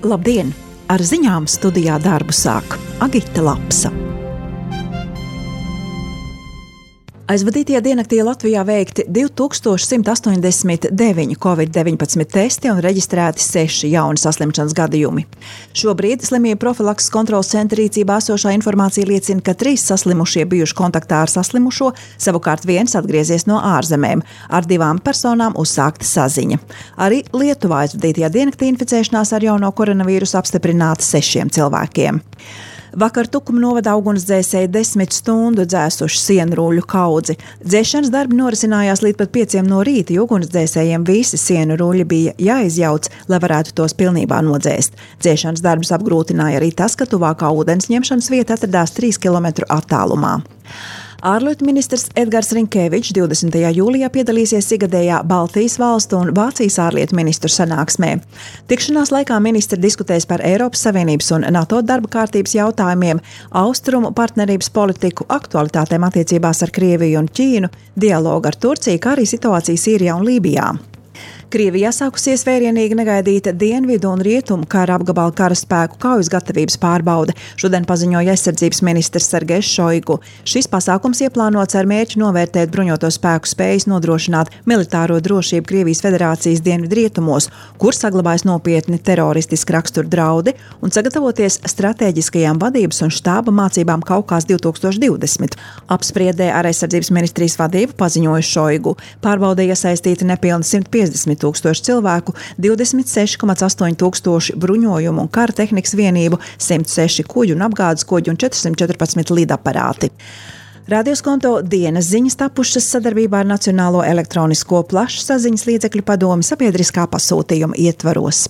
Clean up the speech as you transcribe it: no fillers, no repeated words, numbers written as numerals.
Labdien! Ar ziņām studijā darbu sāk Agita Lapsa. Aizvadītajā diennaktī Latvijā veikti 2189 Covid-19 testi un reģistrēti 6 jauni saslimšanas gadījumi. Šobrīd slimību profilakses kontroles centra rīcībā esošā informācija liecina, ka 3 saslimušie bijuši kontaktā ar saslimušo, savukārt viens atgriezies no ārzemēm. Ar 2 personām uzsākta saziņa. Arī Lietuvā aizvadītajā diennaktī inficēšanās ar jauno koronavīrusu apstiprināta 6 cilvēkiem. Vakar Tukuma novada ugunsdzēsēji 10 stundu dzēsuši sienrūļu kaudzi. Dzēšanas darbi norisinājās līdz pat 5 no rīta, jo ugunsdzēsējiem visi sienu rūļi bija jāizjauc, lai varētu tos pilnībā nodzēst. Dzēšanas darbus apgrūtināja arī tas, ka tuvākā ūdens ņemšanas vieta atradās 3 km attālumā. Ārlietu ministrs Edgars Rinkevičs 20. jūlijā piedalīsies ikgadējā Baltijas valstu un Vācijas ārlietu ministru sanāksmē. Tikšanās laikā ministri diskutēs par Eiropas Savienības un NATO darba kārtības jautājumiem, austrumu partnerības politiku, aktualitātēm attiecībās ar Krieviju un Ķīnu, dialogu ar Turciju, kā arī situāciju Sīrijā un Lībijā. Krievijā sākusies vērienīgi negaidīta dienvidu un rietumu kara apgabala karaspēku kaujas gatavības pārbaude. Šodien paziņoja aizsardzības ministrs Sergejs Šoigu. Šis pasākums ieplānots ar mērķi novērtēt bruņoto spēku spējas nodrošināt militāro drošību Krievijas Federācijas dienvidu rietumos, kur saglabājas nopietni teroristiski rakstura draudi, un sagatavoties stratēģiskajām vadības un štāba mācībām Kaukās 2020. Apspriedē ar aizsardzības ministrijas vadību paziņoja Šoigu. Pārbaudē iesaistīti nepilni 150 tūkstoši cilvēku, 26,8 tūkstoši bruņojumu un kara tehnikas vienību, 106 kuģu un apgādes kuģu un 414 lidaparāti. Radioskonto dienas ziņas tapušas sadarbībā ar Nacionālo elektronisko plašsaziņas līdzekļu padomi sabiedriskā pasūtījuma ietvaros.